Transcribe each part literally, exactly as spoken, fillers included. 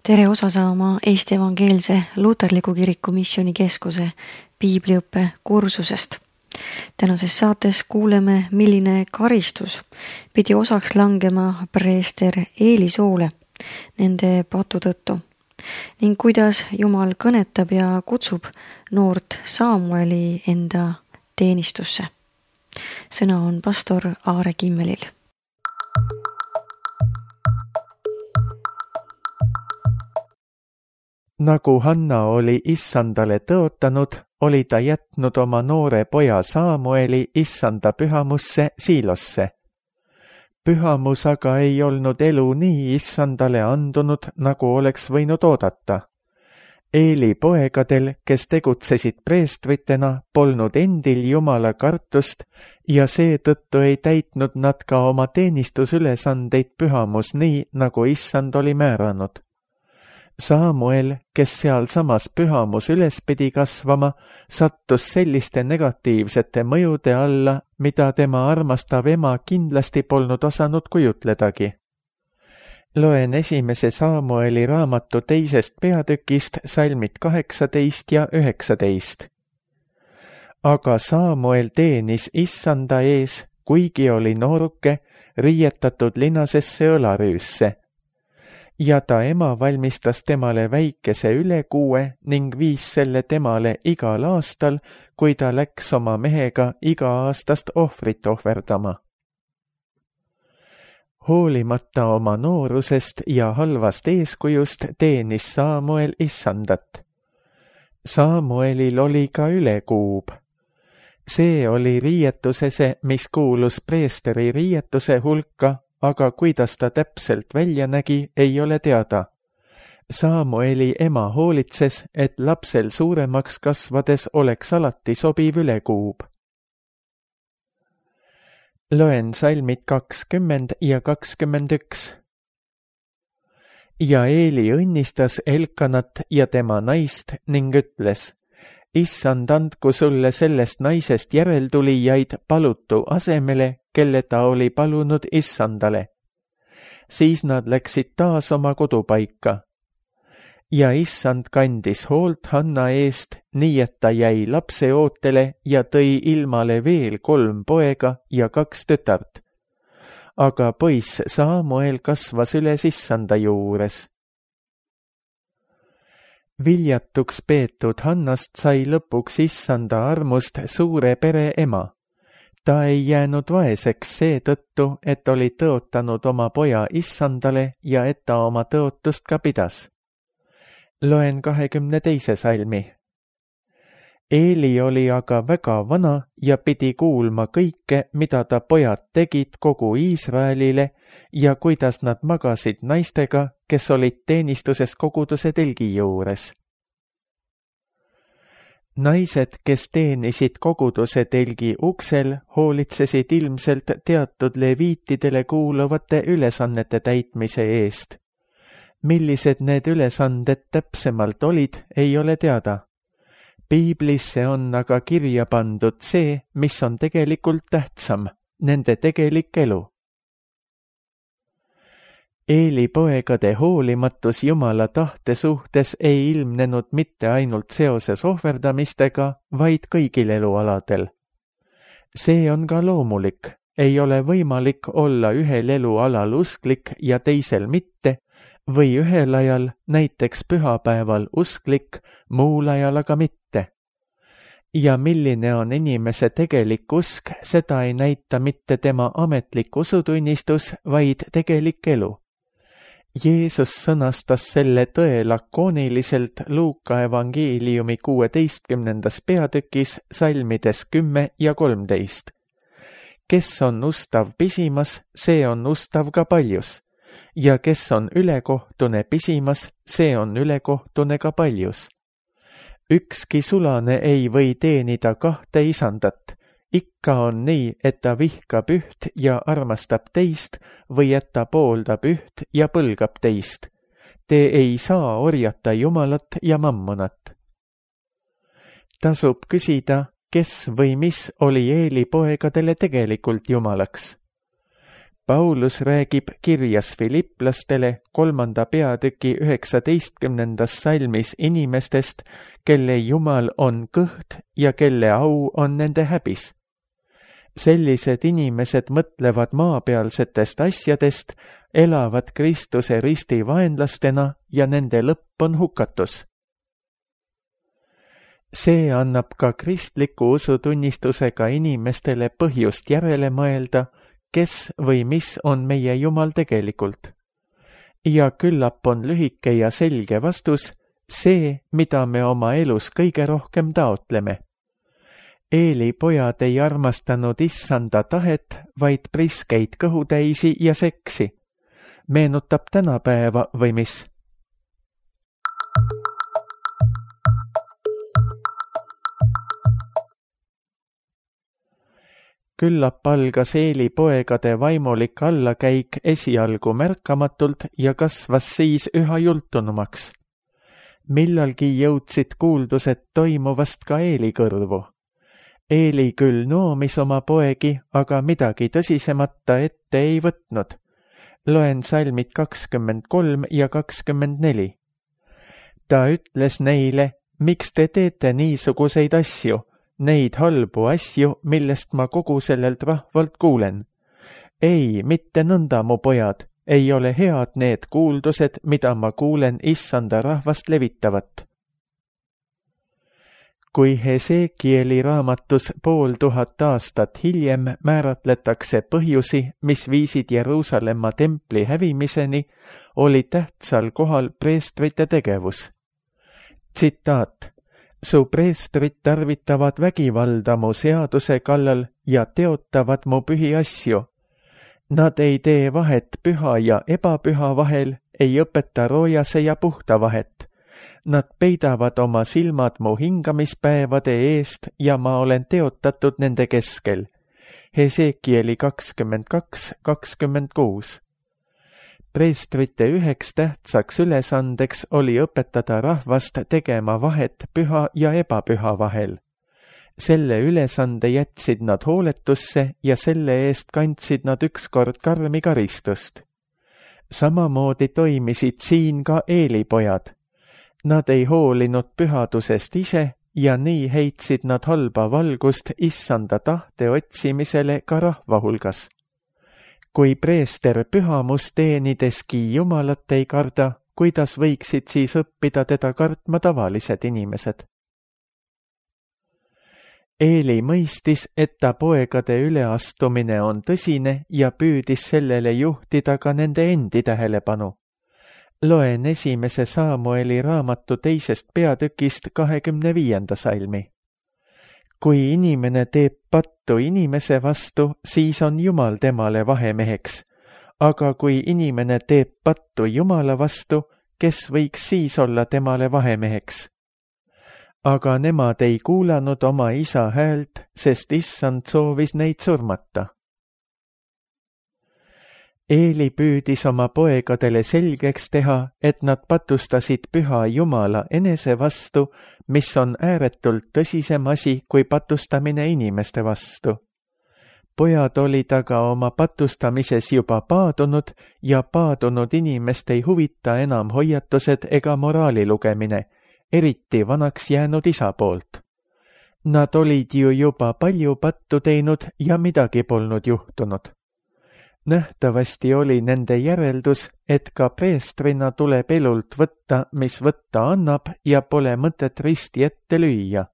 Tere osa saama Eesti Evangeelse Luterliku Kiriku missioonikeskuse piibliõppe kursusest. Tänases saates kuuleme, milline karistus pidi osaks langema preester Eeli soole nende patu tõttu ning kuidas Jumal kõnetab ja kutsub noort Samueli enda teenistusse. Sõna on pastor Aare Kimmelil. Nagu Hanna oli issandale tõotanud, oli ta jätnud oma noore poja Samueli issanda pühamusse Siilosse. Pühamus aga ei olnud elu nii issandale andunud, nagu oleks võinud oodata. Eeli poegadel, kes tegutsesid preestritena, polnud endil Jumala kartust ja seetõttu ei täitnud nad ka oma teenistusülesandeid pühamus nii, nagu issand oli määranud. Samuel, kes seal samas pühamus üles pidi kasvama, sattus selliste negatiivsete mõjude alla, mida tema armastav ema kindlasti polnud osanud kujutledagi. Loen esimese Samueli raamatu teisest peatükist salmid kaheksateist ja üheksateist. Aga Samuel teenis issanda ees, kuigi oli nooruke, riietatud linasesse õlarüüsse. Ja ta ema valmistas temale väikese ülekuue ning viis selle temale igal aastal, kui ta läks oma mehega iga-aastast ohvrit ohverdama. Hoolimata oma noorusest ja halvast eeskujust teenis Samuel issandat. Samuelil oli ka ülekuub. See oli riietusese, mis kuulus preesteri riietuse hulka, aga kuidas ta täpselt välja nägi, ei ole teada. Samueli ema hoolitses, et lapsel suuremaks kasvades oleks alati sobiv ülekuub. Loen salmid kakskümmend ja kakskümmend üks. Ja Eeli õnnistas Elkanat ja tema naist ning ütles: Issand, andku sulle sellest naisest järeltulijaid palutu asemele, kelle ta oli palunud issandale. Siis nad läksid taas oma kodupaika. Ja issand kandis hoolt Hanna eest, nii et ta jäi lapse ootele ja tõi ilmale veel kolm poega ja kaks tütart. Aga poiss Samuel kasvas üles issanda juures. Viljatuks peetud Hannast sai lõpuks issanda armust suure pere ema. Ta ei jäänud vaeseks seetõttu, et oli tõotanud oma poja issandale ja et ta oma tõotust ka pidas. Loen kahekümne teise salmi. Eeli oli aga väga vana ja pidi kuulma kõike, mida ta pojad tegid kogu Iisraelile ja kuidas nad magasid naistega, kes olid teenistuses koguduse telgi juures. Naised, kes teenisid koguduse telgi uksel, hoolitsesid ilmselt teatud leviitidele kuuluvate ülesannete täitmise eest. Millised need ülesanded täpsemalt olid, ei ole teada. Piiblisse on aga kirja pandud see, mis on tegelikult tähtsam, nende tegelik elu. Eeli poegade hoolimatus Jumala tahte suhtes ei ilmnenud mitte ainult seoses ohverdamistega, vaid kõigil elualadel. See on ka loomulik, ei ole võimalik olla ühel elualal usklik ja teisel mitte, või ühel ajal, näiteks pühapäeval usklik, muul ajal aga mitte. Ja milline on inimese tegelik usk, seda ei näita mitte tema ametlik usutunnistus, vaid tegelik elu. Jeesus sõnastas selle tõe lakooniliselt Luuka evangeeliumi kuueteistkümnendas peatükis salmides kümme ja kolmteist. Kes on ustav pisimas, see on ustav ka paljus, ja kes on ülekohtune pisimas, see on ülekohtune ka paljus. Ükski sulane ei või teenida kahte isandat. Ikka on nii, et ta vihkab üht ja armastab teist või et ta pooldab üht ja põlgab teist. Te ei saa orjata Jumalat ja mammonat. Tasub küsida, kes või mis oli Eeli poegadele tegelikult Jumalaks. Paulus räägib kirjas Filipplastele kolmanda peatüki üheksateistkümnendas salmis inimestest, kelle Jumal on kõht ja kelle au on nende häbis. Sellised inimesed mõtlevad maapealsetest asjadest, elavad Kristuse risti vaenlastena ja nende lõpp on hukatus. See annab ka kristliku usutunnistusega inimestele põhjust järele mõelda, kes või mis on meie Jumal tegelikult. Ja küllap on lühike ja selge vastus see, mida me oma elus kõige rohkem taotleme. Eeli pojad ei armastanud issanda tahet, vaid priskeid kõhutäisi ja seksi. Meenutab tänapäeva või mis? Küllap algas Eeli poegade vaimulik allakäik esialgu märkamatult ja kasvas siis üha jultunumaks. Millalgi jõudsid kuuldused toimuvast ka Eeli kõrvu. Eeli küll noomis oma poegi, aga midagi tõsisemata ette ei võtnud. Loen salmid kakskümmend kolm ja kakskümmend neli. Ta ütles neile, miks te teete niisuguseid asju, neid halbu asju, millest ma kogu sellelt rahvalt kuulen. Ei, mitte nõnda, mu pojad, ei ole head need kuuldused, mida ma kuulen issanda rahvast levitavat. Kui Hesekieli raamatus pool tuhat aastat hiljem määratletakse põhjusi, mis viisid Jeruusalemma templi hävimiseni, oli tähtsal kohal preestrite tegevus. Tsitaat. Su preestrid tarvitavad vägivalda mu seaduse kallal ja teotavad mu pühi asju. Nad ei tee vahet püha ja ebapüha vahel, ei õpeta roojase ja puhta vahet. Nad peidavad oma silmad mu hingamispäevade eest ja ma olen teotatud nende keskel. Hesekieli kakskümmend kaks kakskümmend kuus. Preestrite üheks tähtsaks ülesandeks oli õpetada rahvast tegema vahet püha ja ebapüha vahel. Selle ülesande jätsid nad hooletusse ja selle eest kandsid nad ükskord karmi karistust. Samamoodi toimisid siin ka Eeli pojad. Nad ei hoolinud pühadusest ise ja nii heitsid nad halba valgust issanda tahte otsimisele ka rahva hulgas. Kui preester pühamust teenideski Jumalat ei karda, kuidas võiksid siis õppida teda kartma tavalised inimesed? Eeli mõistis, et ta poegade üleastumine on tõsine ja püüdis sellele juhtida ka nende endi tähelepanu. Loen esimese Saamueli raamatu teisest peatükist kahekümne viienda salmi. Kui inimene teeb pattu inimese vastu, siis on Jumal temale vahemeheks. Aga kui inimene teeb pattu Jumala vastu, kes võiks siis olla temale vahemeheks? Aga nemad ei kuulanud oma isa häält, sest issand soovis neid surmata. Eeli püüdis oma poegadele selgeks teha, et nad patustasid püha Jumala enese vastu, mis on ääretult tõsisem asi kui patustamine inimeste vastu. Pojad olid aga oma patustamises juba paadunud ja paadunud inimest ei huvita enam hoiatused ega moraali lugemine, eriti vanaks jäänud isa poolt. Nad olid ju juba palju pattu teinud ja midagi polnud juhtunud. Nähtavasti oli nende järeldus, et ka preestrina tuleb elult võtta, mis võtta annab ja pole mõtet risti ette lüüa.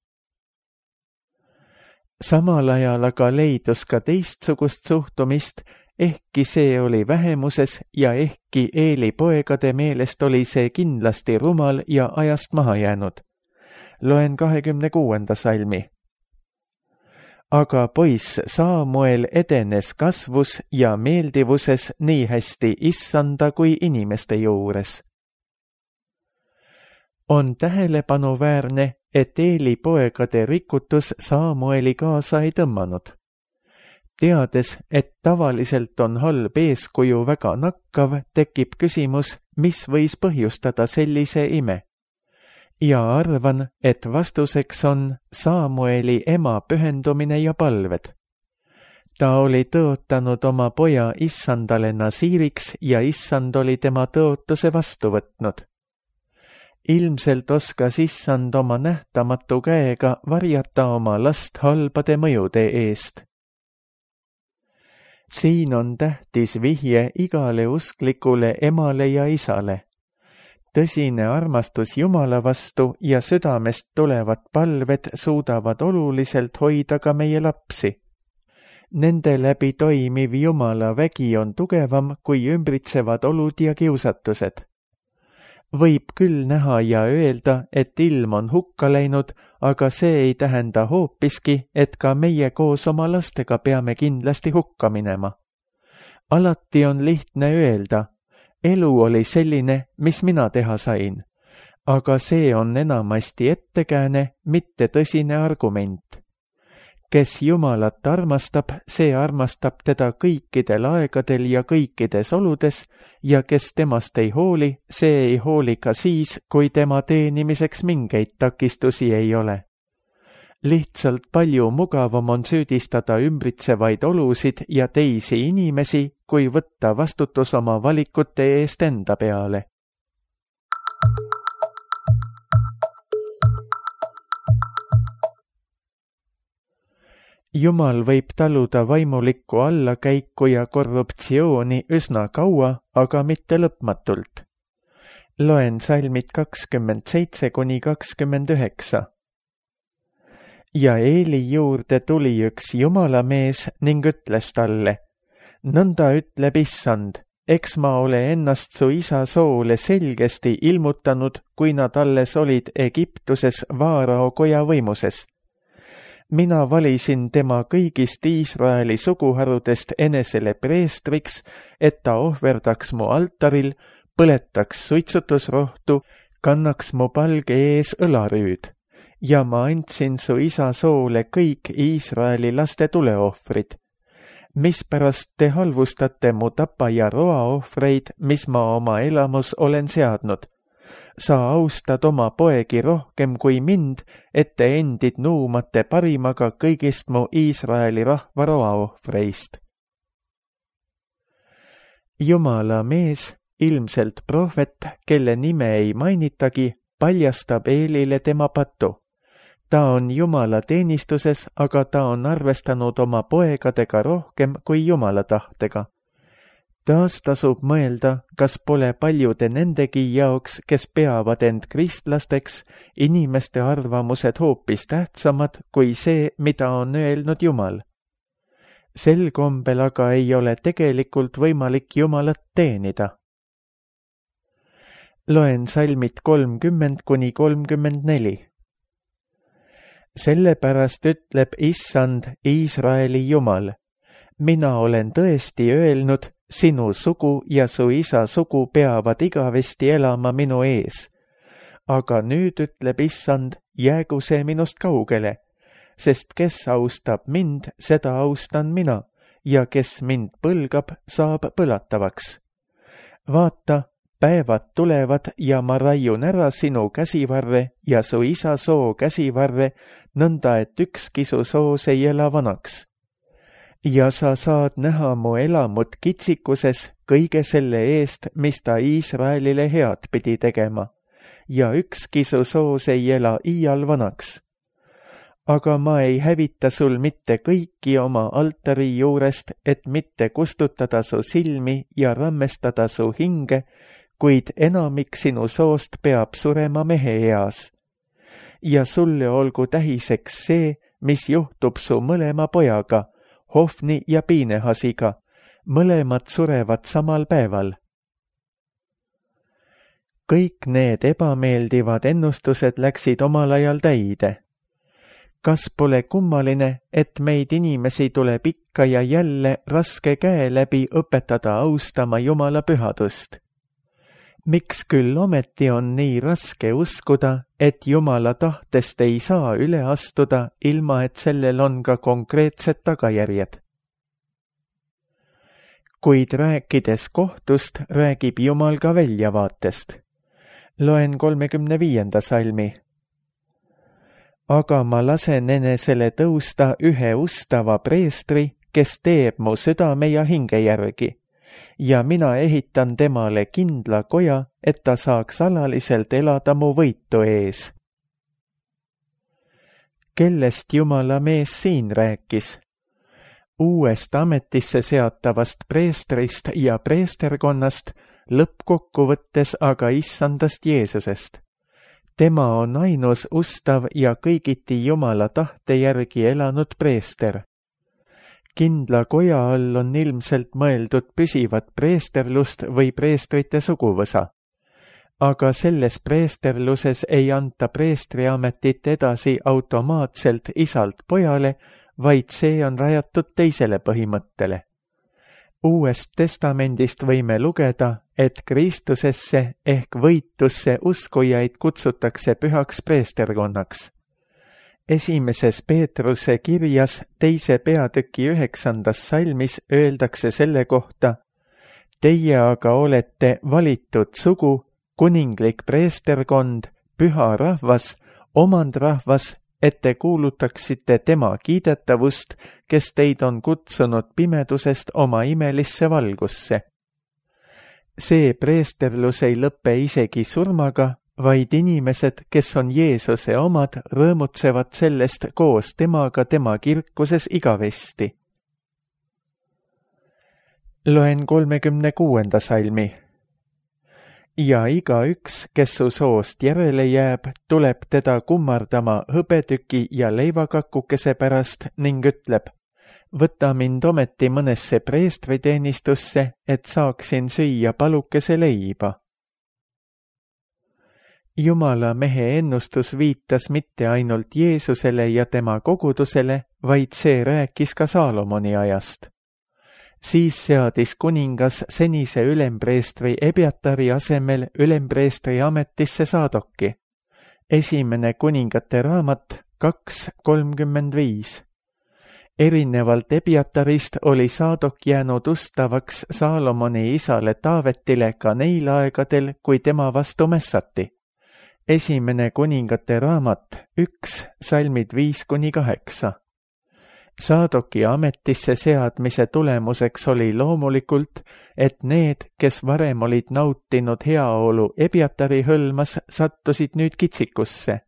Samal ajal aga leidus ka teistsugust suhtumist, ehkki see oli vähemuses ja ehkki Eeli poegade meelest oli see kindlasti rumal ja ajast maha jäänud. Loen kahekümne kuuenda salmi. Aga poiss Saamuel edenes kasvus ja meeldivuses nii hästi issanda kui inimeste juures. On tähelepanuväärne, et Eeli poegade rikutus Saamueli kaasa ei tõmmanud. Teades, et tavaliselt on halb eeskuju väga nakkav, tekib küsimus, mis võis põhjustada sellise ime. Ja arvan, et vastuseks on Saamueli ema pühendumine ja palved. Ta oli tõotanud oma poja issandale nasiiriks ja issand oli tema tõotuse vastu võtnud. Ilmselt oskas issand oma nähtamatu käega varjata oma last halbade mõjude eest. Siin on tähtis vihje igale usklikule emale ja isale. Tõsine armastus Jumala vastu ja südamest tulevad palved suudavad oluliselt hoida ka meie lapsi. Nende läbi toimiv Jumala vägi on tugevam kui ümbritsevad olud ja kiusatused. Võib küll näha ja öelda, et ilm on hukka läinud, aga see ei tähenda hoopiski, et ka meie koos oma lastega peame kindlasti hukka minema. Alati on lihtne öelda, elu oli selline, mis mina teha sain, aga see on enamasti ettekääne, mitte tõsine argument. Kes Jumalat armastab, see armastab teda kõikidel aegadel ja kõikides oludes ja kes temast ei hooli, see ei hooli ka siis, kui tema teenimiseks mingeid takistusi ei ole. Lihtsalt palju mugavam on süüdistada ümbritsevaid olusid ja teisi inimesi, kui võtta vastutus oma valikute eest enda peale. Jumal võib taluda vaimulikku allakäiku ja korruptsiooni üsna kaua, aga mitte lõpmatult. Loen salmid kakskümmend seitse kuni kakskümmend üheksa. Ja Eeli juurde tuli üks jumalamees ning ütles talle, nõnda ütleb issand, eks ma ole ennast su isa soole selgesti ilmutanud, kui nad alles olid Egiptuses Vaarao koja võimuses. Mina valisin tema kõigist Iisraeli suguharudest enesele preestriks, et ta ohverdaks mu altaril, põletaks suitsutusrohtu, kannaks mu palge ees õlarüüd. Ja ma andsin su isa soole kõik Iisraeli laste tuleohvrid. Mispärast te halvustate mu tapa ja roaohvreid, mis ma oma elamus olen seadnud? Sa austad oma poegi rohkem kui mind, et te endid nuumate parimaga kõigist mu Iisraeli rahva roaohvreist. Jumala mees, ilmselt prohvet, kelle nime ei mainitagi, paljastab Eelile tema patu. Ta on Jumala teenistuses, aga ta on arvestanud oma poegadega rohkem kui Jumala tahtega. Taas tasub mõelda, kas pole paljude nendegi jaoks, kes peavad end kristlasteks, inimeste arvamused hoopis tähtsamad kui see, mida on öelnud Jumal. Sel kombel aga ei ole tegelikult võimalik Jumalat teenida. Loen salmid kolmkümmend kuni kolmkümmend neli. Sellepärast ütleb issand Iisraeli Jumal, mina olen tõesti öelnud, sinu sugu ja su isa sugu peavad igavesti elama minu ees. Aga nüüd ütleb issand, jäägu see minust kaugele, sest kes austab mind, seda austan mina, ja kes mind põlgab, saab põlatavaks. Vaata, päevad tulevad ja ma raiun ära sinu käsivarre ja su isa soo käsivarre, nõnda et ükski su soos ei ela vanaks. Ja sa saad näha mu elamut kitsikuses kõige selle eest, mis ta Iisraelile head pidi tegema, ja ükski su soos ei ela iial vanaks. Aga ma ei hävita sul mitte kõiki oma altari juurest, et mitte kustutada su silmi ja rammestada su hinge, kuid enamik sinu soost peab surema mehe eas. Ja sulle olgu tähiseks see, mis juhtub su mõlema pojaga, Hofni ja Piinehasiga, mõlemad surevad samal päeval. Kõik need ebameeldivad ennustused läksid omal ajal täide. Kas pole kummaline, et meid inimesi tuleb ikka ja jälle raske käe läbi õpetada austama Jumala pühadust? Miks küll ometi on nii raske uskuda, et Jumala tahtest ei saa üle astuda, ilma et sellel on ka konkreetsed tagajärjed? Kuid rääkides kohtust, räägib Jumal ka väljavaatest. Loen kolmekümne viienda salmi. Aga ma lasen enesele tõusta ühe ustava preestri, kes teeb mu südame ja hinge järgi ja mina ehitan temale kindla koja, et ta saaks alaliselt elada mu võitu ees. Kellest Jumala mees siin rääkis? Uuest ametisse seatavast preestrist ja preesterkonnast, lõppkokkuvõttes aga issandast Jeesusest. Tema on ainus ustav ja kõigiti Jumala tahte järgi elanud preester. Kindla koja all on ilmselt mõeldud püsivat preesterlust või preestrite suguvõsa. Aga selles preesterluses ei anta preestriametit edasi automaatselt isalt pojale, vaid see on rajatud teisele põhimõttele. Uuest testamendist võime lugeda, et Kristusesse ehk võitusse uskujaid kutsutakse pühaks preesterkonnaks. Esimeses Peetruse kirjas teise peatüki üheksandas salmis öeldakse selle kohta: Teie aga olete valitud sugu, kuninglik preesterkond, püha rahvas, omandrahvas, et te kuulutaksite tema kiidetavust, kes teid on kutsunud pimedusest oma imelisse valgusse. See preesterlus ei lõpe isegi surmaga, vaid inimesed, kes on Jeesuse omad, rõõmutsevad sellest koos temaga tema kirkuses igavesti. Loen kolmekümne kuuenda salmi. Ja igaüks, kes su soost järele jääb, tuleb teda kummardama hõbetüki ja leivakakukese pärast ning ütleb: Võta mind ometi mõnesse preestriteenistusse, et saaksin süüa palukese leiba. Jumala mehe ennustus viitas mitte ainult Jeesusele ja tema kogudusele, vaid see rääkis ka Saalomoni ajast. Siis seadis kuningas senise ülempreestri Ebiatari asemel ülempreestri ametisse Saadoki. Esimene kuningate raamat kaks kolmkümmend viis. Erinevalt Ebiatarist oli Saadok jäänud ustavaks Saalomoni isale Taavetile ka neil aegadel, kui tema vastu mässati. Esimene kuningate raamat üks salmid viis kuni kaheksa. Saadoki ametisse seadmise tulemuseks oli loomulikult, et need, kes varem olid nautinud heaolu Ebiatari hõlmas, sattusid nüüd kitsikusse.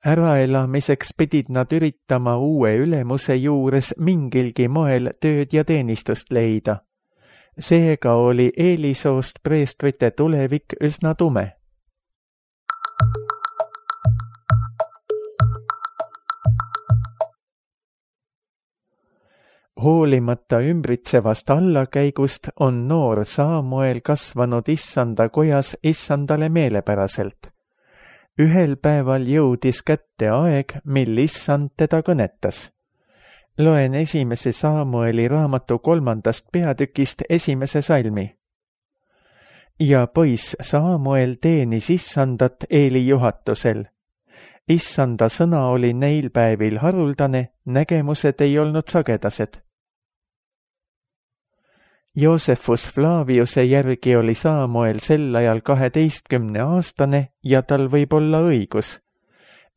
Äraelamiseks pidid nad üritama uue ülemuse juures mingilgi moel tööd ja teenistust leida. Seega oli Eelisoost preestrite tulevik üsna tume. Hoolimata ümbritsevast allakäigust on noor Saamuel kasvanud issanda kojas issandale meelepäraselt. Ühel päeval jõudis kätte aeg, mil issand teda kõnetas. Loen esimese Saamueli raamatu kolmandast peatükist esimese salmi. Ja poiss Saamuel teenis issandat Eeli juhatusel. Issanda sõna oli neil päevil haruldane, nägemused ei olnud sagedased. Joosefus Flaviuse järgi oli Saamuel sel ajal kaheteistkümne aastane ja tal võib olla õigus.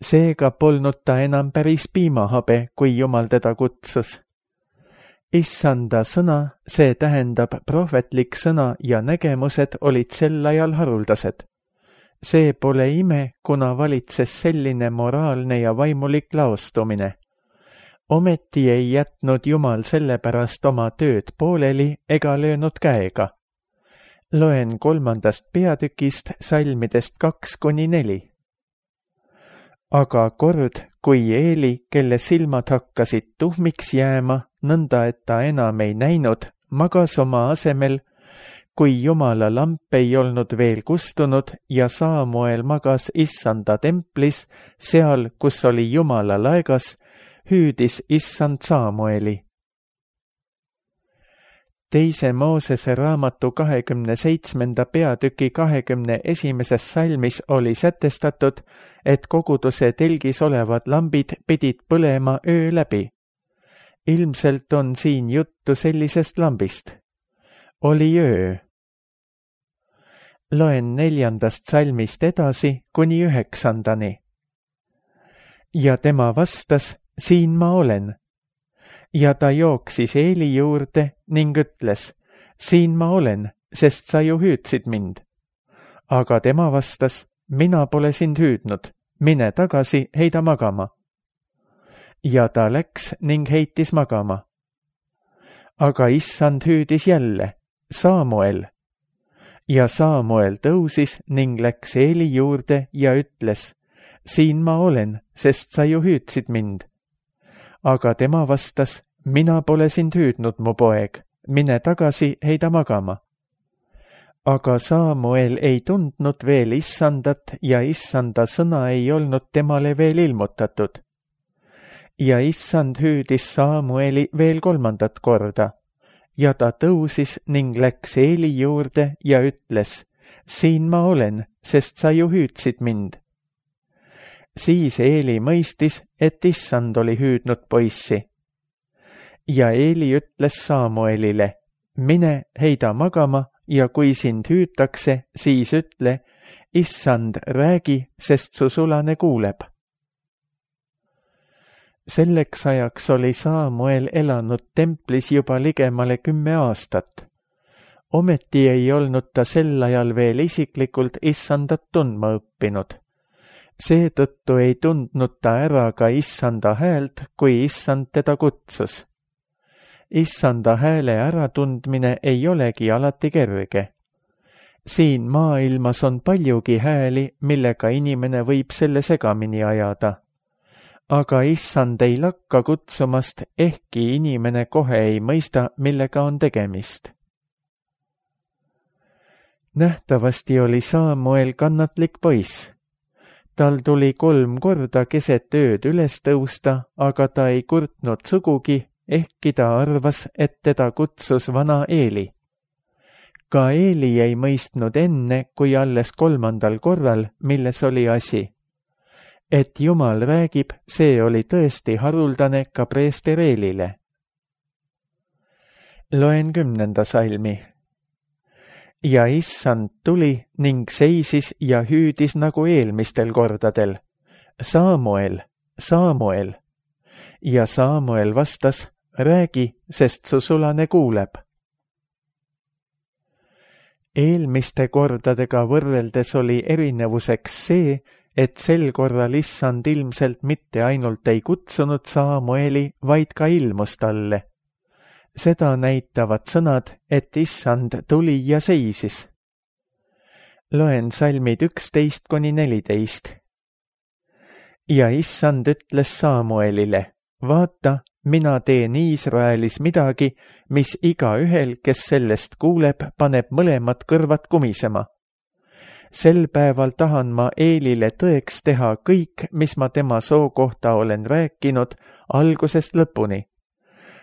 Seega polnud ta enam päris piimahabe, kui Jumal teda kutsus. Issanda sõna, see tähendab prohvetlik sõna ja nägemused olid sel ajal haruldased. See pole ime, kuna valitses selline moraalne ja vaimulik laostumine. Ometi ei jätnud Jumal sellepärast oma tööd pooleli ega löönud käega. Loen kolmandast peatükist salmidest kaks kuni neli. Aga kord, kui Eeli, kelle silmad hakkasid tuhmiks jääma, nõnda et ta enam ei näinud, magas oma asemel, kui Jumala lamp ei olnud veel kustunud ja Saamuel magas issanda templis, seal, kus oli Jumala laegas, hüüdis issand Saamueli. Teise Moosese raamatu kahekümne seitsmenda peatüki kahekümne esimeses salmis oli sätestatud, et koguduse telgis olevad lambid pidid põlema öö läbi. Ilmselt on siin juttu sellisest lambist. Oli öö. Loen neljandast salmist edasi kuni üheksandani. Ja tema vastas: siin ma olen. ja ta jooksis Eeli juurde ning ütles, siin ma olen, sest sa ju hüüdsid mind. Aga tema vastas, mina pole sind hüüdnud, mine tagasi, heida magama. Ja ta läks ning heitis magama. Aga issand hüüdis jälle, Saamuel. Ja Saamuel tõusis ning läks Eeli juurde ja ütles, siin ma olen, sest sa ju hüüdsid mind. Aga tema vastas, mina pole sind hüüdnud, mu poeg, mine tagasi, heida magama. Aga Saamuel ei tundnud veel issandat ja issanda sõna ei olnud temale veel ilmutatud. Ja issand hüüdis Saamueli veel kolmandat korda ja ta tõusis ning läks Eeli juurde ja ütles, siin ma olen, sest sa ju hüüdsid mind. Siis Eeli mõistis, et issand oli hüüdnud poissi. Ja Eeli ütles Saamuelile, mine heida magama ja kui sind hüütakse, siis ütle, issand, räägi, sest su sulane kuuleb. Selleks ajaks oli Saamuel elanud templis juba ligemale kümme aastat. Ometi ei olnud ta sel ajal veel isiklikult issandat tundma õppinud. Seetõttu ei tundnud ta ära ka issanda häält, kui issand teda kutsus. Issanda hääle äratundmine ei olegi alati kerge. Siin maailmas on paljugi hääli, millega inimene võib selle segamini ajada. Aga issand ei lakka kutsumast, ehkki inimene kohe ei mõista, millega on tegemist. Nähtavasti oli Saamuel kannatlik poiss. Tal tuli kolm korda keset ööd üles tõusta, aga ta ei kurtnud sugugi, ehkki ta arvas, et teda kutsus vana Eeli. Ka Eeli ei mõistnud enne, kui alles kolmandal korral, milles oli asi. Et Jumal räägib, see oli tõesti haruldane ka preester Eelile. Loen kümnenda salmi. Ja issand tuli ning seisis ja hüüdis nagu eelmistel kordadel. Saamuel, Saamuel. Ja Saamuel vastas, räägi, sest su sulane kuuleb. Eelmiste kordadega võrreldes oli erinevuseks see, et sel korral issand ilmselt mitte ainult ei kutsunud Saamueli, vaid ka ilmus talle. Seda näitavad sõnad, et issand tuli ja seisis. Loen salmid üksteist kuni neliteist. Ja issand ütles Saamuelile, vaata, mina teen Iisraelis midagi, mis iga ühel, kes sellest kuuleb, paneb mõlemad kõrvad kumisema. Sel päeval tahan ma Eelile tõeks teha kõik, mis ma tema soo kohta olen rääkinud, algusest lõpuni.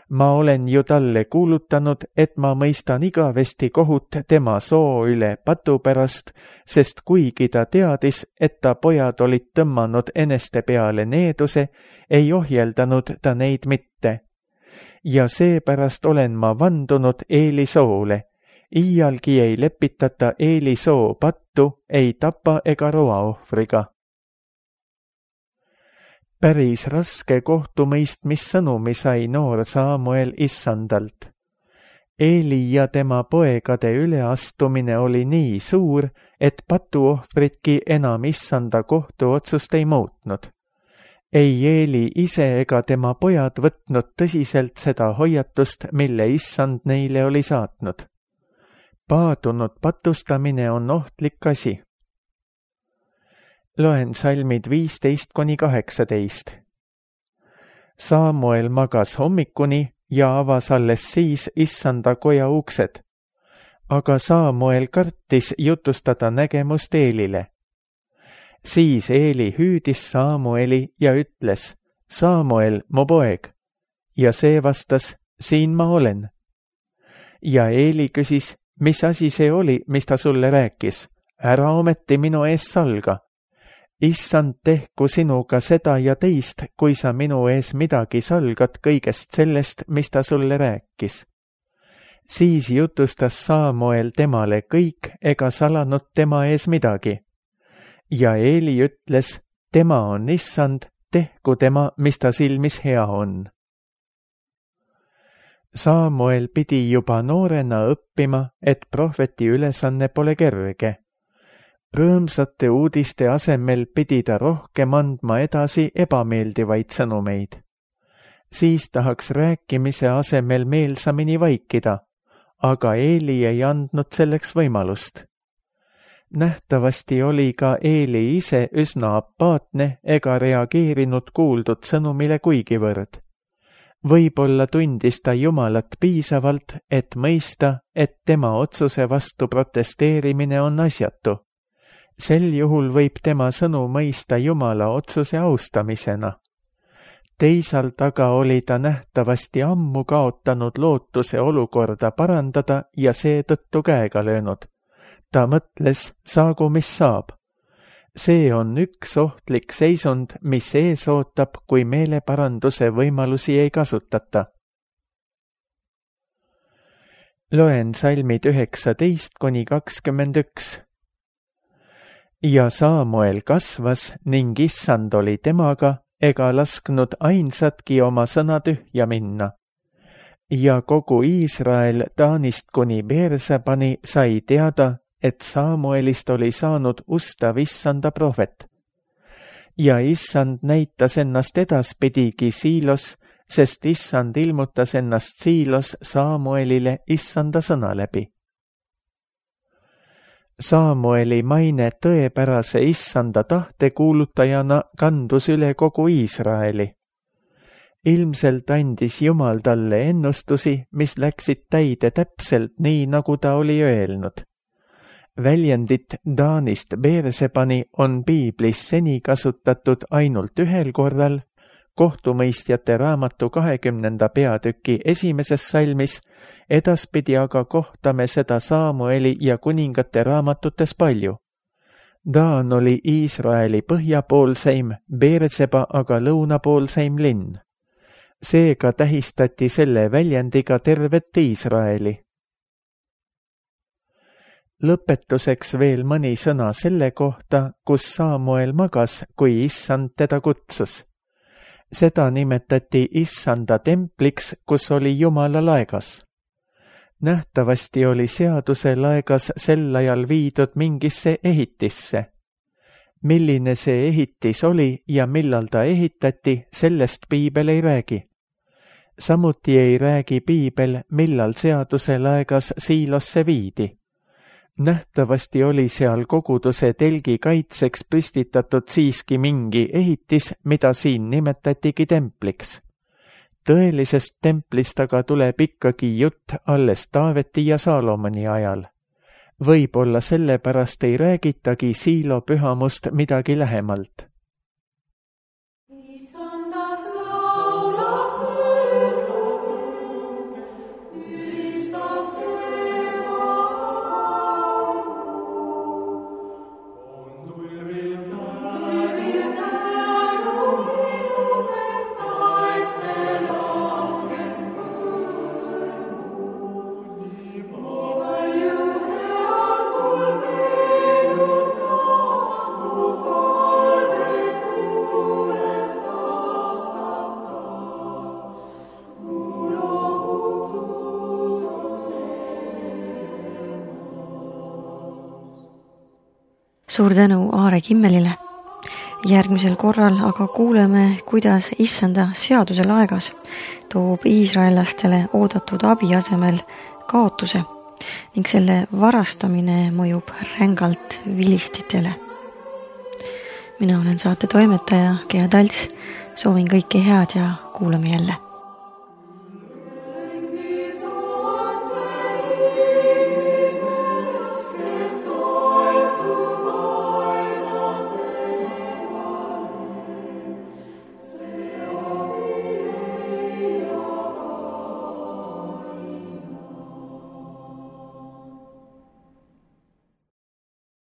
Ma olen ju talle kuulutanud, et ma mõistan igavesti kohut tema soo üle patu pärast, sest kuigi ta teadis, et ta pojad olid tõmmanud eneste peale needuse, ei ohjeldanud ta neid mitte. Ja seepärast olen ma vandunud Eeli soole. Iialgi ei lepitata Eeli soo pattu, ei tapa ega roa ohvriga. Päris raske kohtumõistmissõnumi sai noor Saamuel issandalt. Eeli ja tema poegade üleastumine oli nii suur, et patuohvritki enam issanda kohtuotsust ei muutnud. Ei Eeli ise ega tema pojad võtnud tõsiselt seda hoiatust, mille issand neile oli saatnud. Paadunud patustamine on ohtlik asi. Loen salmid viisteist kuni kaheksateist. Saamuel magas hommikuni ja avas alles siis issanda koja uksed. Aga Saamuel kartis jutustada nägemust Eelile. Siis Eeli hüüdis Saamueli ja ütles, Saamuel, mu poeg. Ja see vastas, siin ma olen. Ja Eeli küsis, mis asi see oli, mis ta sulle rääkis? Ära ometi minu ees salga. Issand tehku sinuga seda ja teist, kui sa minu ees midagi salgad kõigest sellest, mis ta sulle rääkis. Siis jutustas Saamuel temale kõik ega salanud tema ees midagi. Ja Eeli ütles, tema on issand, tehku tema, mis ta silmis hea on. Samuel pidi juba noorena õppima, et prohveti ülesanne pole kerge. Rõõmsate uudiste asemel pidi ta rohkem andma edasi ebameeldivaid sõnumeid. Siis tahaks rääkimise asemel meelsamini vaikida, aga Eeli ei andnud selleks võimalust. Nähtavasti oli ka Eeli ise üsna apaatne ega reageerinud kuuldud sõnumile kuigivõrd. Võib-olla tundis ta Jumalat piisavalt, et mõista, et tema otsuse vastu protesteerimine on asjatu. Sel juhul võib tema sõnu mõista Jumala otsuse austamisena. Teisalt aga oli ta nähtavasti ammu kaotanud lootuse olukorda parandada ja seetõttu käega löönud. Ta mõtles, saagu mis saab. See on üks ohtlik seisund, mis ees ootab, kui meeleparanduse võimalusi ei kasutata. Loen salmid üheksateist kuni kakskümmend üks. Ja Samuel kasvas ning Issand oli temaga, ega lasknud ainsatki oma sõna tühja minna. Ja kogu Iisrael Taanist kuni Beersebani sai teada, et Samuelist oli saanud ustav Issanda prohvet. Ja Issand näitas ennast edaspidigi Siilos, sest Issand ilmutas ennast Siilos Samuelile Issanda sõna läbi. Samueli maine tõepärase Issanda tahte kuulutajana kandus üle kogu Iisraeli. Ilmselt andis Jumal talle ennustusi, mis läksid täide täpselt nii, nagu ta oli öelnud. Väljendit Taanist Beersebani on piiblis seni kasutatud ainult ühel korral, kohtumõistjate raamatu kahekümnenda peatüki esimeses salmis, edaspidi aga kohtame seda Samueli ja kuningate raamatutes palju. Taan oli Iisraeli põhjapoolseim, Beerseba aga lõunapoolseim linn. Seega tähistati selle väljendiga tervet Iisraeli. Lõpetuseks veel mõni sõna selle kohta, kus Samuel magas, kui Issand teda kutsus. Seda nimetati Issanda templiks, kus oli Jumala laegas. Nähtavasti oli seaduse laegas sel ajal viidud mingisse ehitisse. Milline see ehitis oli ja millal ta ehitati, sellest piibel ei räägi. Samuti ei räägi piibel, millal seaduse laegas Siilosse viidi. Nähtavasti oli seal koguduse telgi kaitseks püstitatud siiski mingi ehitis, mida siin nimetatigi templiks. Tõelisest templist aga tuleb ikkagi jutt alles Taaveti ja Saalomoni ajal. Võib-olla sellepärast ei räägitagi Siilo pühamust midagi lähemalt. Suur tänu Aare Kimmelile. Järgmisel korral aga kuuleme, kuidas Issanda seaduse laegas toob iisraellastele oodatud abi asemel kaotuse ning selle varastamine mõjub rängalt vilistitele. Mina olen saate toimetaja Gea Talts, soovin kõike head ja kuulame jälle.